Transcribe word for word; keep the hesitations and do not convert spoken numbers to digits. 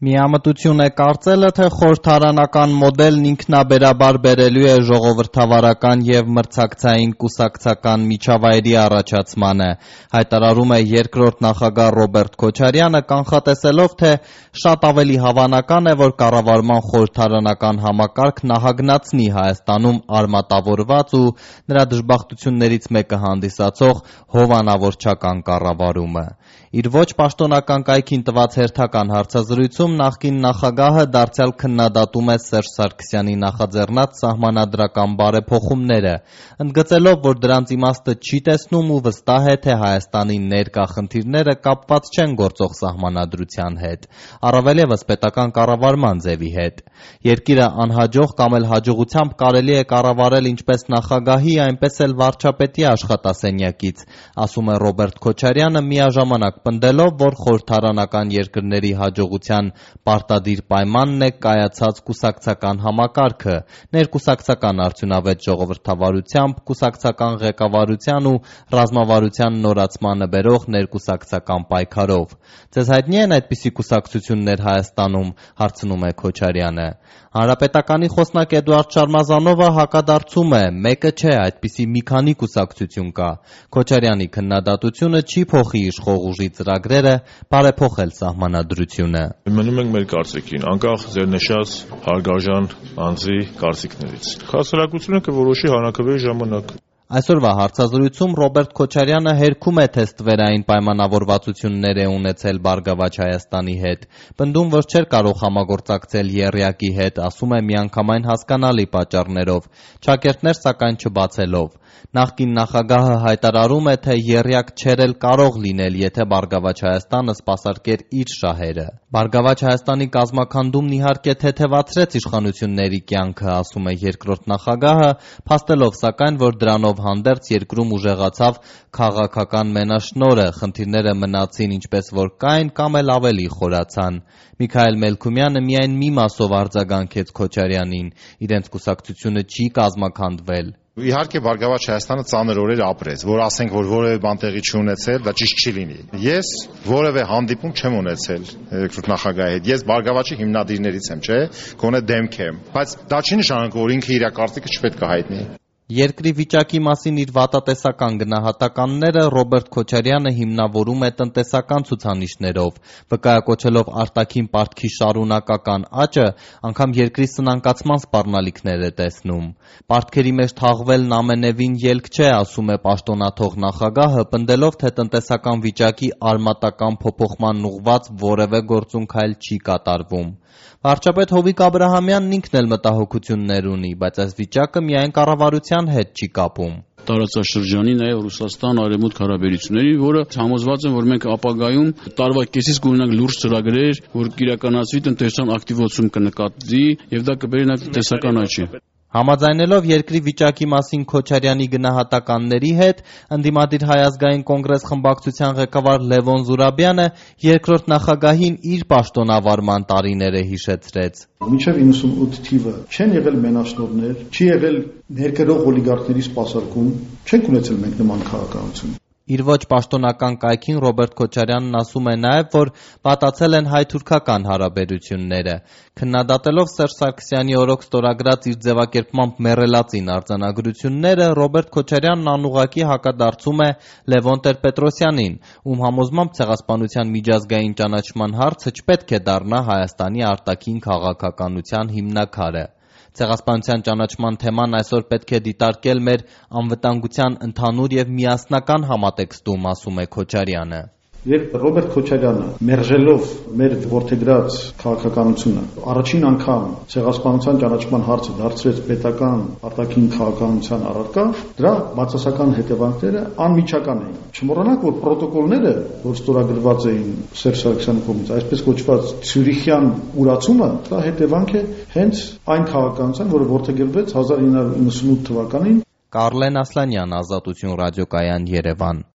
Միամտություն է կարծելը, թե խորհրդարանական մոդելն ինքնաբերաբար բերելու է ժողովրդավարական և մրցակցային կուսակցական միջավայրի առաջացմանը, հայտարարում է երկրորդ նախագահ Ռոբերտ Քոչարյանը, կանխատեսելով, թե շատ ավելի հավանական է, որ կառավարման խորհրդարանական համակարգն ահագնացնի Հայաստանում արմատավորված ու նրա դժբախտություններից մեկը հանդիսացող հովանավորչական կառավարումը։ Իր ոչ պաշտոնական կայքին տված հերթական հարցազրույցում նախկին նախագահը դարձյալ քննադատում է Սերժ Սարգսյանի նախաձեռնած սահմանադրական բարեփոխումները, ընդգծելով, որ դրանց իմաստը չի տեսնում ու վստահ է, թե Հայաստանի ներկա խնդիրները կապված չեն գործող սահմանադրության հետ, առավել ևս պետական կառավարման ձևի հետ։ Երկիրը անհաջող կամ էլ հաջողությամբ կարելի է կառավարել ինչպես նախագահի, այնպես էլ վարչապետի աշխատասենյակից, ասում է Ռոբերտ Քոչարյանը, միաժամանակ պնդելով, որ խորհրդարանական երկրների հաջողության պարտադիր պայմանն է կայացած կուսակցական համակարգը, ներկուսակցական արդյունավետ ժողովրդավարությամբ, կուսակցական ղեկավարության ու ռազմավարության նորացմանը բերող ներկուսակցական պայքարով։ Ձեզ հայտնի են այդպիսի կուսակցություններ Հայաստանում, հարցնում է Քոչարյանը։ Հանրապետականի խոսնակ Էդուարդ Շարմազանովը հակադարձում է, մեկը չէ, այդպիսի մի քանի կուսակցություն կա։ Քոչարյանի քննադատությունը չի փոխի իշխող ուժի ծրագրերը բարեփոխել սահմանադրությունը։ Մնում ենք մեր կարծիքին, անկախ ձեր նշած հարգարժան անձի կարծիքներից։ Հասարակությունը կորոշի հանրաքվեի ժամանակ։ Այսօրվա հարցազրույցում Ռոբերտ Քոչարյանը հերքում է, թե ստվերային պայմանավորվածություններ է ունեցել Բարգավաճ Հայաստանի հետ, պնդում, որ չէր կարող համագործակցել եռյակի հետ, ասում է միանգամայն հասկանալի պատճառներով, ճակերտներ սակայն չբացելով։ Նախկին նախագահը հայտարարում է, թե եռյակ չէր էլ կարող լինել, եթե Բարգավաճ Հայաստանը սպասարկեր իր շահերը։ Բարգավաճ Հայաստանի կազմաքանդումն իհարկե թեթևացրեց իշխանությունների կյանքը, ասում է երկրորդ նախագահը, փաստելով սակայն, որ դրանով հանդերձ երկրում ուժեղացավ քաղաքական մենաշնորհը, խնդիրները մնացին ինչպես որ կային կամ էլ ավելի խորացան։ Միքայել Մելքումյանը միայն մի մասով արձագանքեց Քոչարյանին, իրենց կուսակցությունը չի կազմաքանդվել։ Իհարկե Բարգավաճ Հայաստանը ծանր օրեր ապրեց, որ ասենք, որ որևէ բան տեղի չի ունեցել, դա ճիշտ չի լինի։ Ես որևէ հանդիպում չեմ ունեցել երկրորդ նախագահի հետ։ Ես Բարգավաճի հիմնադիրներից եմ, չէ՞, գոնե դեմք եմ, բայց դա չի նշանակում, որ ինքը իր կարծիքը չպետք է հայտնի։ Երկրի վիճակի մասին իր վատատեսական գնահատականները Ռոբերտ Քոչարյանը հիմնավորում է տնտեսական ցուցանիշներով, վկայակոչելով արտաքին պարտքի շարունակական աճը, անգամ երկրի սնանկացման սպառնալիքներ է տեսնում։ Պարտքերի մեջ թաղվելն ամենևին ելք չէ, ասում է պաշտոնաթող նախագահը, պնդելով, թե տնտեսական վիճակի արմատական փոփոխման ուղղված որևէ գործունք այլ չի կատարվում։ Վարչապետ Հովիկ Աբրահամյանն ինքն էլ մտահոգություններ ունի, բայց այս վիճակը միայն կառավարության հետ չի կապում։ Տարածաշրջանի, նաև Ռուսաստան արևմուտք հարաբերությունների, որը համոզված եմ, որ մենք ապագայում տարվա կեսից կունենանք լուրջ ծրագրեր, որ կիրականացվի տնտեսական ակտիվացում կնկատվի եւ դա կբերի նաև տնտեսական աճի։ Համաձայնելով երկրի վիճակի մասին Քոչարյանի գնահատականների հետ, ընդդիմադիր Հայ ազգային կոնգրես խմբակցության ղեկավար Լևոն Զուրաբյանը երկրորդ նախագահին իր պաշտոնավարման տարիները հիշեցրեց։ Մինչև իննսունութ թիվը չեն եղել մենաշնորհներ, չի եղել ներկրող օլիգարխների սպասարկում, չենք ունեցել մենք նման քաղաքականություն։ Իր ոչ պաշտոնական կայքին Ռոբերտ Քոչարյանն ասում է նաև, որ վատացել են հայ-թուրքական հարաբերությունները։ Քննադատելով Սերժ Սարգսյանի օրոք ստորագրած իր ձևակերպմամբ մեռելածին արձանագրությունները, Ռոբերտ Քոչարյանն անուղղակի հակադարձում է Լևոն Տեր-Պետրոսյանին, ում համոզմամբ ցեղասպանության միջազգային ճանաչման հարցը չպետք է դառնա Հայաստանի արտաքին քաղաքականության հիմնաքարը։ Ցեղասպանության ճանաչման թեման այսօր պետք է դիտարկել մեր անվտանգության ընդհանուր եւ միասնական համատեքստում, ասում է Քոչարյանը։ Երբ Ռոբերտ Քոչարյանը մերժելով մեր ворթեգրած քաղաքականությունը առաջին անգամ ցեղասպանության ճանաչման հարցը դարձրեց պետական արտաքին քաղաքականության առարկա, դրա բացասական հետևանքները անմիջական էին։ Չմոռանանք, որ պրոտոկոլները, որ ստորագրված էին Սերժ Սարգսյանի կողմից, այսպես կոչված Ցյուրիխյան ուրացումը, դա հետևանք է հենց այն քաղաքականության, որը ворթեգրվեց հազար ինը հարյուր իննսունութ թվականին։ Կարլեն Ասլանյան, Ազատություն ռադիոկայան, Երևան։